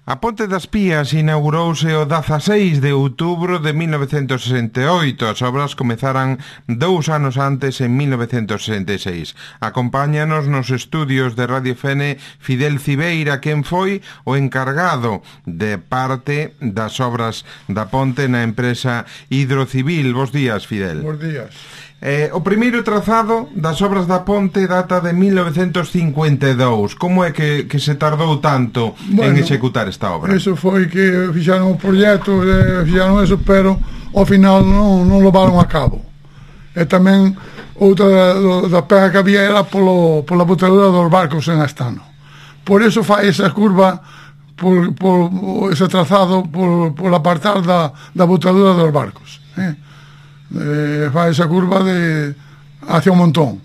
A Ponte das Pías inaugurouse o 16 de outubro de 1968. As obras comezaran 2 anos antes, en 1966. Acompáñanos nos estudios de Radio Fene Fidel Cibeira, quen foi o encargado de parte das obras da ponte na empresa Hidrocivil. Bos días, Fidel. Bos días. O primeiro trazado das obras da ponte data de 1952. Como é que se tardou tanto en executar esta obra? Eso foi que fixaron o proxecto, fixaron eso, pero ao final non levaron a cabo. E tamén outra da pega que había era pola botadura dos barcos en Astano. Por eso fai esa curva, por ese trazado, por apartar da botadura dos barcos. Fai esa curva hacia o montón.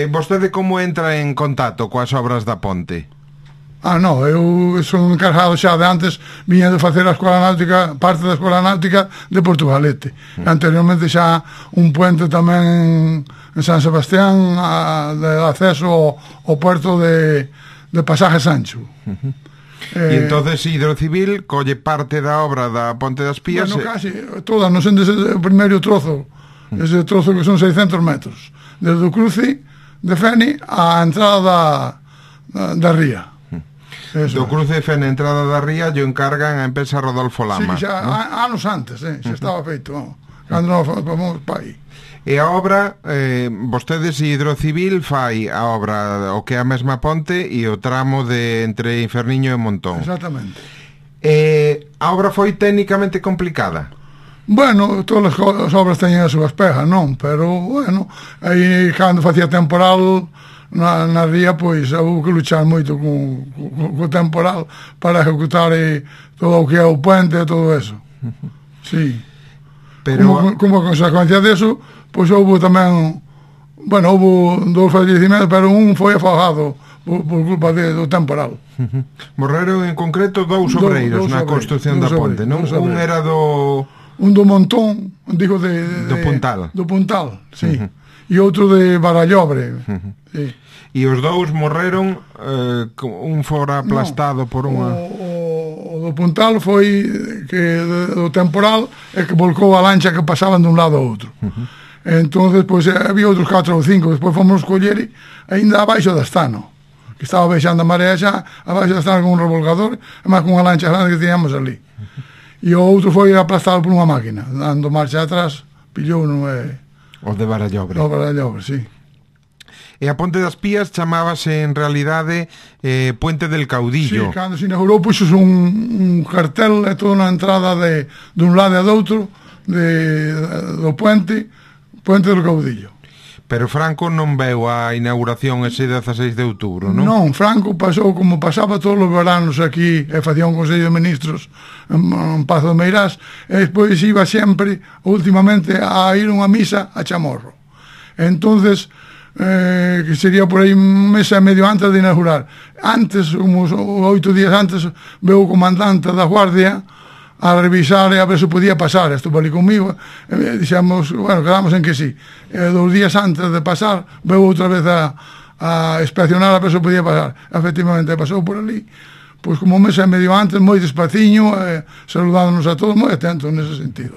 Vostede como entra en contacto coas obras da ponte? Non, eu son encargado xa de antes, viña de facer a escola náutica, parte da escola náutica de Portugalete. Anteriormente xa un puente tamén en San Sebastián de acceso ao puerto de Pasaje Sancho. E entonces Hidrocivil colle parte da obra da Ponte das Pías. Bueno, casi todas, non sendo o primeiro trozo, ese trozo que son 600 metros, desde o cruce de Fene á entrada da ría. Do cruce de Fene, entrada da ría, yo encargan a empresa Rodolfo Lama. Sí, xa, anos antes, xa estaba feito, cando nos fomos pa aí. E a obra, vostedes Hidrocivil fai a obra o que é a mesma ponte e o tramo de entre Inferniño e Montón. Exactamente. A obra foi técnicamente complicada? Bueno, todas as obras teñen as súas pegas, non? Pero, bueno, aí cando facía temporal na ría, pois, houve que luchar moito co temporal para ejecutar todo o que é o puente e todo eso. Sí. Pero como consecuencia deso, pois houve tamén, bueno, houve 2 fallecimentos, pero un foi afogado por culpa do temporal. Morreron en concreto 2 obreiros na construción da ponte, non? Un era un do Montón, digo do Puntal. Do Puntal, sí. E outro de Barallobre. Sí. E os 2 morreron, un fora aplastado por unha... O do Puntal foi que do temporal é que volcou a lancha que pasaban dun lado ao outro. Entonces, pois, había outros 4 ou 5, despois fomos coller ainda abaixo da Astano, que estaba baixando a marea xa, abaixo da Astano con un revolcador, e máis con unha lancha grande que teníamos ali. E o outro foi aplastado por unha máquina, dando marcha atrás, pillou non é... O de Barallobre. O Barallobre, sí. E a Ponte das Pías chamábase en realidade Puente del Caudillo. Sí, cando se inaugurou puxos un cartel e toda unha entrada dun lado e do outro do Puente del Caudillo. Pero Franco non veu a inauguración ese 16 de outubro, non? Non, Franco pasou como pasaba todos os veranos aquí e facía un Consello de Ministros en Pazo de Meirás, e despois iba sempre, últimamente, a ir unha misa a Chamorro. Entonces, que sería por aí un mes e medio antes de inaugurar. Antes, uns 8 días antes, veu o comandante da Guardia a revisar e a ver se podía pasar. Estuvo ali comigo, dixemos, bueno, quedamos en que sí. 2 días antes de pasar, veu outra vez a inspeccionar a ver se podía pasar. Efectivamente, pasou por ali, pois como un mes e medio antes, moi despaciño, saludándonos a todos, moi atentos nese sentido.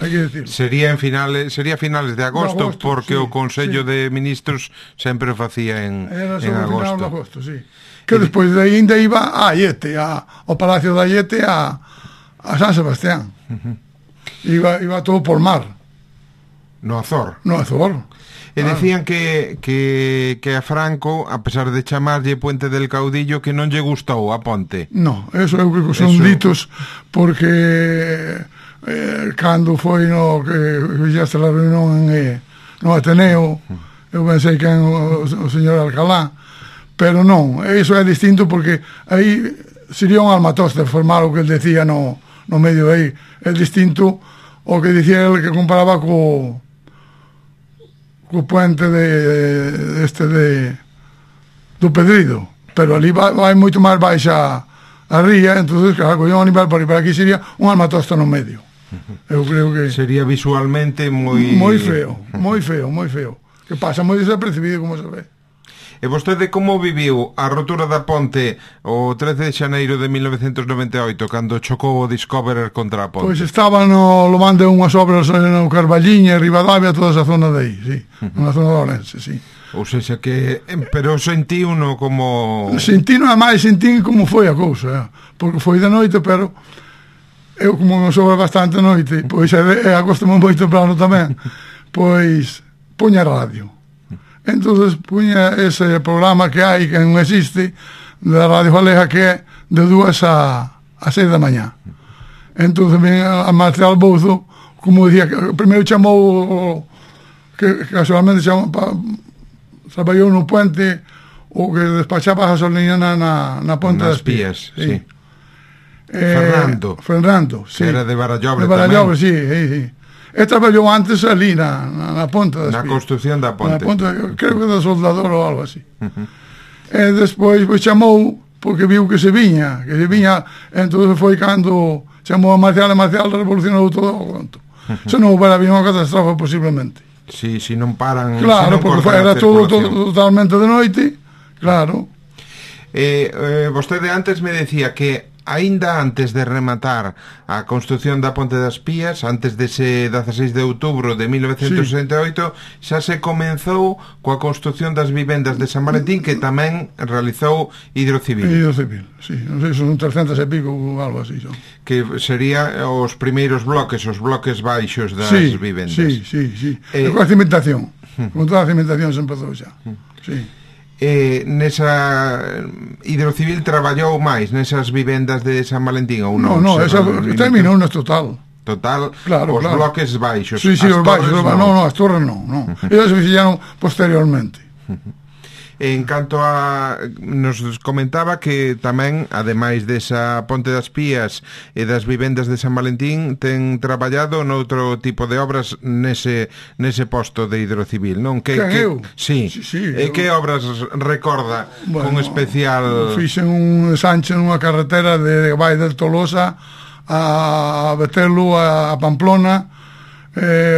Hai que decirlo. Sería finales de agosto, porque sí, o Consello de Ministros sempre o facía en agosto. Final de agosto, sí. Que despois de aí ainda iba a Aiete, ao Palacio de Aiete, a San Sebastián. Iba todo por mar. No Azor. E decían que a Franco, a pesar de chamarlle Puente del Caudillo, que non lle gustou a ponte. No, eso eu creo que son ditos, porque cando foi que fixaste a reunión no Ateneo, eu pensei que o señor Alcalá, pero non, eso é distinto, porque aí sería un almatoste formar o que el decía no medio aí. É distinto o que dicía el, que comparaba co puente do Pedrido, pero ali vai moito máis baixa a ría, entonces claro, collón a nivel para aquí sería un almatoste no medio. Eu creo que sería visualmente moi feo, que pasa moi desapercibido, como se ve. E vostede como viviu a rotura da ponte o 13 de xaneiro de 1998 cando chocou o Discoverer contra a ponte? Pois estaban no man de unhas obras no Carballiña, Ribadavia, toda esa zona de aí, sí, na zona de Ourense, sí. Ou seja que... Pero sentí uno como... Sentín como foi a cousa, porque foi de noite, pero eu como me sobra bastante noite, pois acostumo moito plano tamén, pois puña radio. Entonces puña ese programa que hai, que non existe, da Radio Galega, que é de 2 a 6 da mañá. Entonces ven a Marcial Bouzo, como dicía, primeiro chamou, que casualmente chamou, traballou no puente o que despachaba a gasolina na Ponte das Pías. Sí. Fernando, sí. Que era de Barallobre tamén. De Barallobre, sí. E traballou antes ali na Ponte das Pías. Na construción da ponte. Creo que do soldador ou algo así. E despois chamou, porque viu que se viña, entón foi cando chamou a Marcial revolucionou todo o conto. Se non houbera habido unha catastrofe posiblemente. Si non paran... Claro, porque era todo totalmente de noite, claro. Vostede antes me decía que aínda antes de rematar a construción da Ponte das Pías, antes dese 16 de outubro de 1968, xa se comenzou coa construción das vivendas de San Valentín, que tamén realizou Hidrocivil. Hidrocivil, sí, non sei, son 300 e pico ou algo así. Son. Que sería os primeiros bloques, os bloques baixos das vivendas. Sí. Coa cimentación, con toda a cimentación se empezou xa. Sí. Nesa Hidrocivil traballou máis nesas vivendas de San Valentín ou non? Non, esa terminou no total. Claro, os bloques baixos. Sí, os baixos, non, as torres non. Elas se fixeron posteriormente. En canto a... Nos comentaba que tamén, ademais desa Ponte das Pías e das vivendas de San Valentín, ten traballado noutro tipo de obras nese posto de Hidrocivil, non? Eu? Sí. E que obras recorda con especial... Fixen un ensanche nunha carretera de Vai del Tolosa a Betelú, a Pamplona,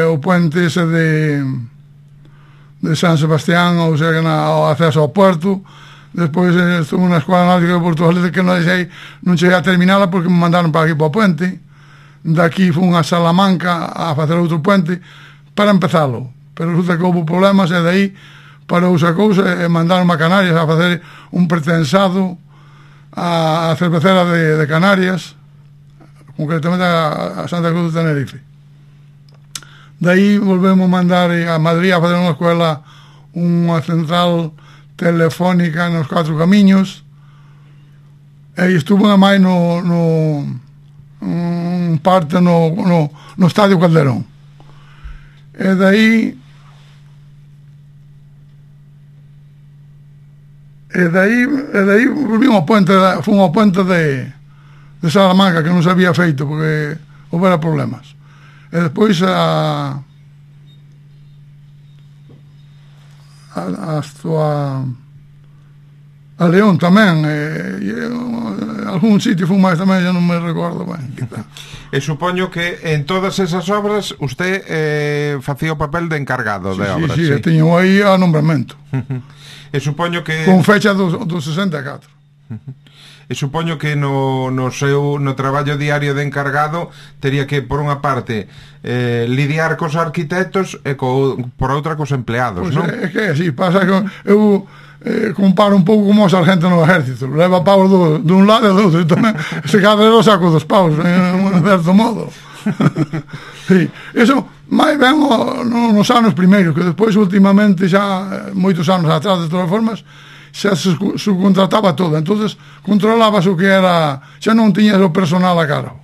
o puente ese de San Sebastián, ou sea, o acceso ao puerto. Despois estuve na Escola Náutica de Portugalete, que non cheguei a terminala porque me mandaron para aquí para o puente. Daqui fui a Salamanca a facer outro puente para empezalo, pero resulta que houve problemas e dai parouse a cousa e mandaron a Canarias a facer un pretensado a cervecera de Canarias, concretamente a Santa Cruz de Tenerife. Daí volvemos mandar a Madrid a fazer unha escola, unha central telefónica nos 4 camiños, e estuvo a máis no parte no Estadio Calderón. E daí volvimos ao puente, fomos ao puente de Salamanca, que non se había feito porque houbera problemas. E despois a León tamén, algún sitio fun máis tamén, xa non me recordo ben. E supoño que en todas esas obras usted facía o papel de encargado de obras. Sí, teño aí a nombramento. E supoño que... Con fecha do 64. E supoño que no traballo diario de encargado tería que, por unha parte, lidiar cos arquitectos e por outra cos empleados, pues non? É que así, pasa que eu comparo un pouco como o sargento no exército, leva paus dun lado e do outro, tamén se cadra o saco dos paus, en certo modo. Sí, eso máis ben nos anos primeiros, que despois últimamente xa moitos anos atrás, de todas formas, xa se subcontrataba todo, entonces controlabas o que era, xa non tiñas o personal a cargo,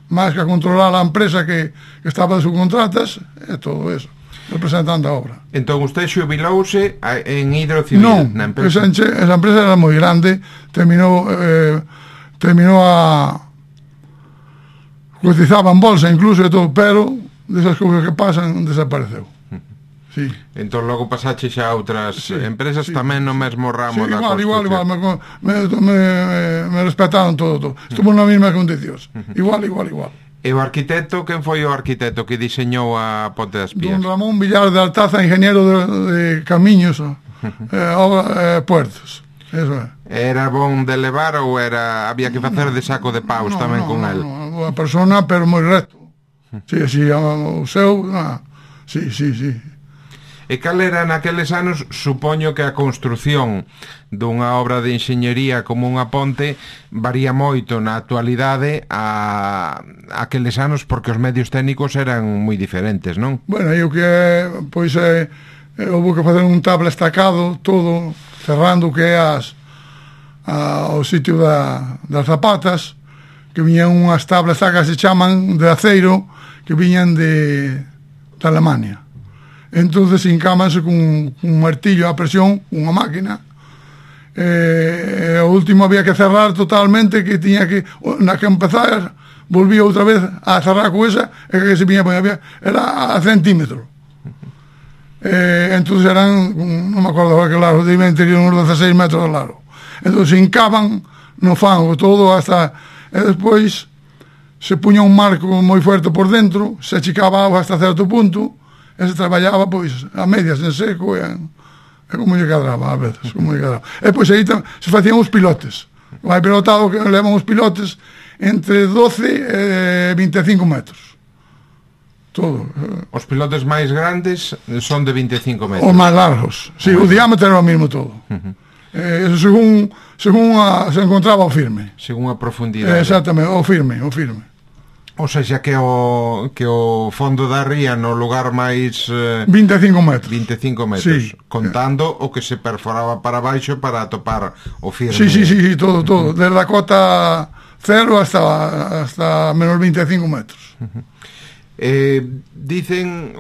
máis que a controlar a empresa que estaba de subcontratas e todo eso, representando a obra. Entón usted xubilouse en Hidrocivil? Non, esa empresa era moi grande, terminou a cotizaba en bolsa incluso e todo, pero desas cousas que pasan desapareceu. Sí. Entón logo pasache xa a outras empresas tamén no mesmo ramo da construcción. Igual, me respetaron todo. Estuvo nas mesmas condicións. Igual. E o arquitecto, quen foi o arquitecto que diseñou a Ponte das Pías? Don Ramón Villar de Altaza, ingeniero de camiños, puertos. Eso é. Era bon de levar ou había que facer de saco de paus tamén con el? A persona, pero moi recto. Sí, o seu, sí. E cal era naqueles anos? Supoño que a construción dunha obra de enxeñería como unha ponte varía moito na actualidade a aqueles anos, porque os medios técnicos eran moi diferentes, non? Bueno, eu que pois houve que facer un tabla estacado todo, cerrando o que é o sitio das zapatas, que viñan unhas tablas estacas se chaman de aceiro, que viñan de Alemania. Entonces hincámanse con un martillo a presión, unha máquina, o último había que cerrar totalmente, que tiña que, na que empezar, volvía outra vez a cerrar con esa, e que se viña, era a centímetros. Entonces eran, non me acordo que largo, debían ter uns 16 metros de largo. Entonces hincaban no fango todo hasta, e despois se puña un marco moi fuerte por dentro, se achicaba agua hasta certo punto, e se traballaba pois a medias en seco e como lle cadraba a veces, como lle cadraba. E pois aí se facían os pilotes. Vai pilotado que levan os pilotes entre 12 e 25 metros. Todo. Os pilotes máis grandes son de 25 metros. Os máis largos. Sí, o diámetro era o mismo todo. Según se encontraba o firme. Según a profundidade. Exactamente, o firme. O sea, que o fondo da ría no lugar máis 25 metros. 25 metros, sí, contando o que se perforaba para baixo para atopar o firme. Sí, todo, desde a cota 0 hasta menos 25 metros. Dicen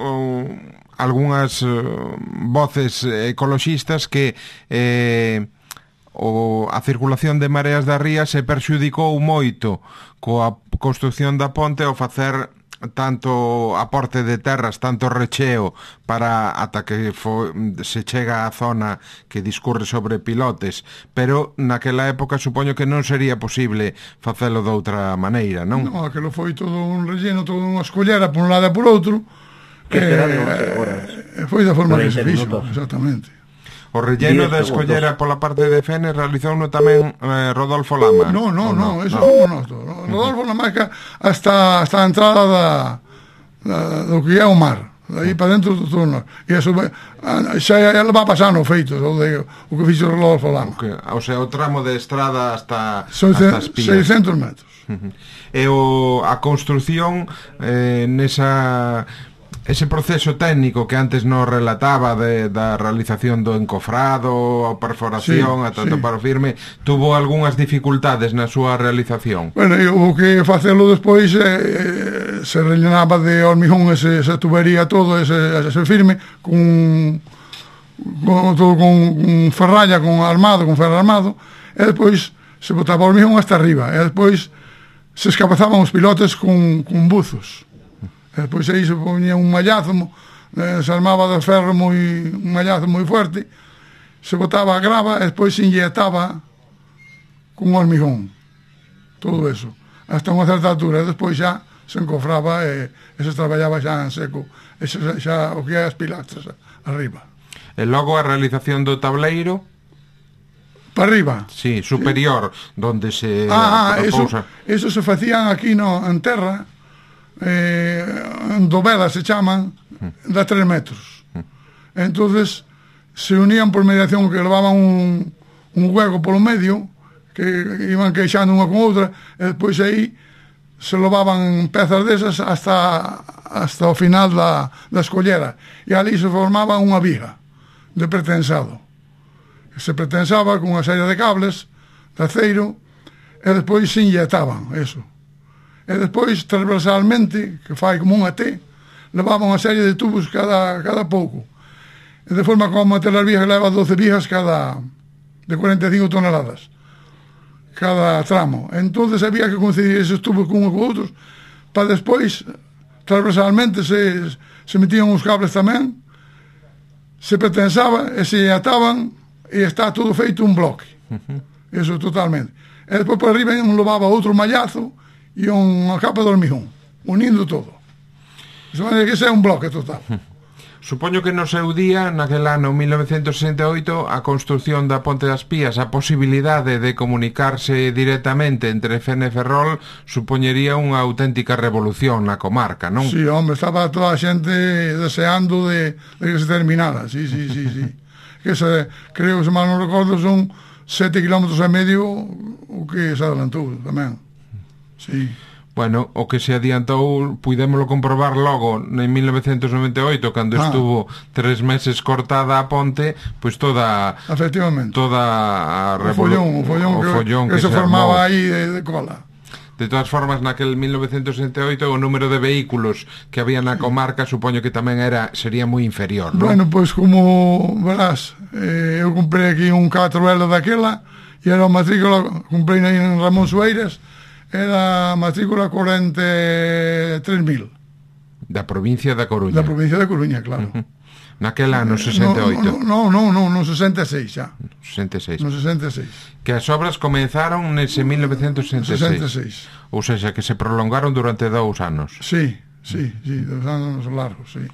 algunhas voces ecoloxistas que a circulación de mareas da ría se perxudicou moito coa construción da ponte ao facer tanto aporte de terras, tanto recheo para ata que se chega á zona que discurre sobre pilotes, pero naquela época supoño que non sería posible facelo de outra maneira, non? Non, aquilo foi todo un relleno, todo unha escollera por un lado e por outro, foi da forma que se fixo, exactamente. O relleno da escollera pola parte de Fene realizouno tamén Rodolfo Lama. No, eso non noto. Rodolfo Lama hasta a entrada do que é o mar. Aí para dentro do túnel. E eso xa va pasando feitos o que fixo Rodolfo Lama. O sea, o tramo de estrada hasta as Pías. 600 metros. E a construción ese proceso técnico que antes nos relataba da realización do encofrado, a perforación, ata topar o firme, tuvo algunhas dificultades na súa realización? Bueno, o que facelo despois se rellenaba de hormigón esa tubería todo, ese firme, con ferralla, con ferro armado, e despois se botaba hormigón hasta arriba, e despois se escapazaban os pilotes con buzos. E despois aí se ponía un mallazo, se armaba de ferro un mallazo moi fuerte, se botaba a grava e despois se inyectaba con hormigón, todo eso, hasta unha certa altura, e despois xa se encofraba e se traballaba xa en seco, e xa o que é as pilastras arriba. E logo a realización do tableiro? Para arriba? Sí, superior, donde se repousa. Eso se facían aquí en terra, dovelas se chaman, de 3 metros. Entonces se unían por mediación, que levaban un hueco polo medio, que iban queixando unha con outra, e despois aí se levaban pezas desas hasta o final da escollera, e ali se formaba unha viga de pretensado. Se pretensaba con unha serie de cables de aceiro, e despois se inyectaban eso. E despois, transversalmente, que fai como unha T, levaba unha serie de tubos cada pouco. E de forma como a telas vigas leva 12 vigas de 45 toneladas cada tramo. Entonces había que coincidir esos tubos con uns con outros, para despois, transversalmente, se metían os cables tamén, se pretensaba e se ataban, e está todo feito un bloque. Eso totalmente. E despois por arriba levaba outro mallazo e unha capa de hormigón, unindo todo. Eso é que ese é un bloque total. Supoño que no seu día, naquel ano 1968, a construción da Ponte das Pías, a posibilidade de comunicarse directamente entre Fene e Ferrol, supoñería unha auténtica revolución na comarca, non? Sí, hombre, estaba toda a xente deseando de que se terminara, sí. Que creo que, se mal non recordo, son 7,5 km o que se adelantou tamén. Sí. Bueno, o que se adiantou, puidémolo comprobar logo en 1998, cando estuvo 3 meses cortada a ponte, pois toda a revolución, o follón que se formaba aí de cola. De todas formas, naquel 1968 o número de vehículos que había na comarca supoño que tamén sería moi inferior, non? Bueno, pois como verás, eu comprei aquí un 4L daquela e era a matrícula, comprei aí en Ramón Sueiras, era a matrícula 43.000. Da provincia da Coruña. Da provincia da Coruña, claro. Naquel ano, 68. No 66 xa. 66. No 66. Que as obras comenzaron nese 1966. Ou seja, que se prolongaron durante 2 anos. Sí, 2 anos largos, sí.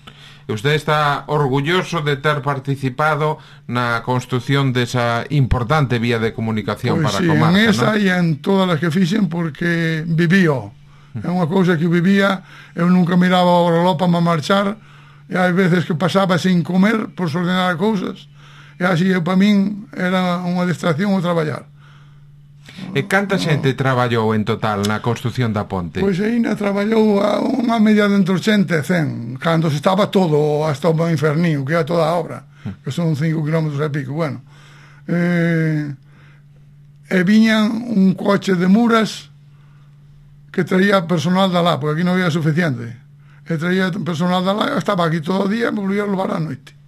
E usted está orgulloso de ter participado na construción desa importante vía de comunicación para a comarca, en esa non? E en todas as que fixen, porque vivío. É unha cousa que vivía, eu nunca miraba o reloj para marchar, e hai veces que pasaba sin comer por ordenar cousas, e así para min era unha distracción o traballar. E canta xente traballou en total na construción da ponte? Pois ainda traballou unha media de entre 80 e 100, cando se estaba todo hasta o infernío, que era toda a obra, que son 5 km e pico, bueno. E viñan un coche de muras que traía personal da lá, porque aquí non había suficiente. E traía personal da lá, estaba aquí todo o día e me volvía a levar a noite.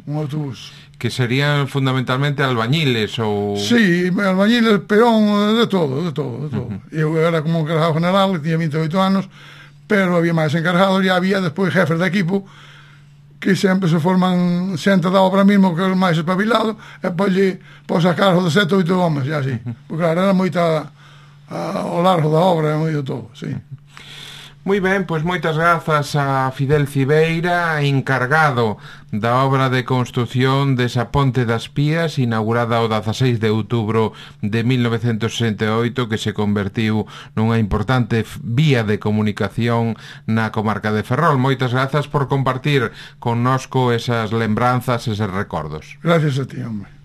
Un autobús. Que serían fundamentalmente albañiles ou... Sí, albañiles, peón, de todo. Eu era como encargado general, tiña 28 anos, pero había máis encargados e había despois jefes de equipo que sempre se forman xente da obra mismo, que é o máis espabilado, e pois sacar de 7 ou 8 homes, e así. Porque claro, era moita ao largo da obra, moito todo, sí. Moi ben, pois moitas grazas a Fidel Cibeira, encargado da obra de construción desa Ponte das Pías, inaugurada o 16 de outubro de 1968, que se convertiu nunha importante vía de comunicación na comarca de Ferrol. Moitas grazas por compartir connosco esas lembranzas, eses recordos. Gracias a ti, hombre.